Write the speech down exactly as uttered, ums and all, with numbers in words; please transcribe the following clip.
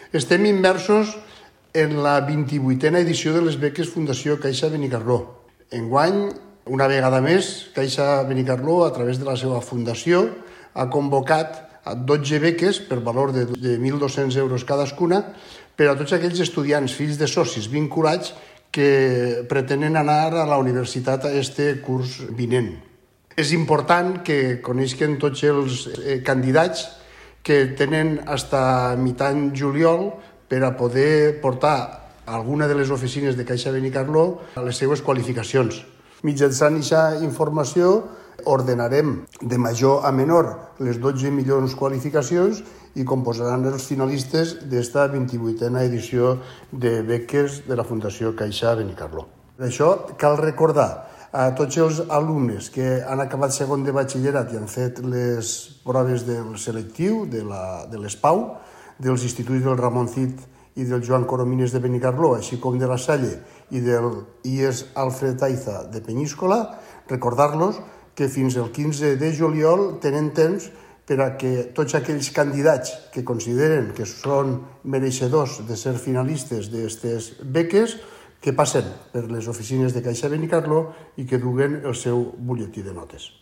Estem immersos en la vint-i-vuitena edició de les beques Fundació Caixa Benicarló. Enguany, una vegada més, Caixa Benicarló, a través de la seva fundació, ha convocat a dotze beques per valor de mil dos-cents euros cadascuna per a tots aquells estudiants, fills de socis vinculats que pretenen anar a la universitat a este curs vinent. És important que coneixen tots els candidats que tenen fins a mitjan juliol per a poder portar a alguna de les oficines de Caixa Benicarló les seues qualificacions. Mitjançant aquesta informació ordenarem de major a menor les dotze millors qualificacions i composaran els finalistes d'esta vint-i-vuitena edició de beques de la Fundació Caixa Benicarló. Per això cal recordar a tots els alumnes que han acabat segon de batxillerat i han fet les proves del selectiu, de l'E S P A U, dels instituts del Ramon Cid i del Joan Coromines de Benicarló, així com de la Salle i del I E S Alfred Aiza de Penyíscola, recordar-los que fins el quinze de juliol tenen temps per a que tots aquells candidats que consideren que són mereixedors de ser finalistes d'aquestes beques que passen per les oficines de Caixa Benicarló i que duguen el seu butlletí de notes.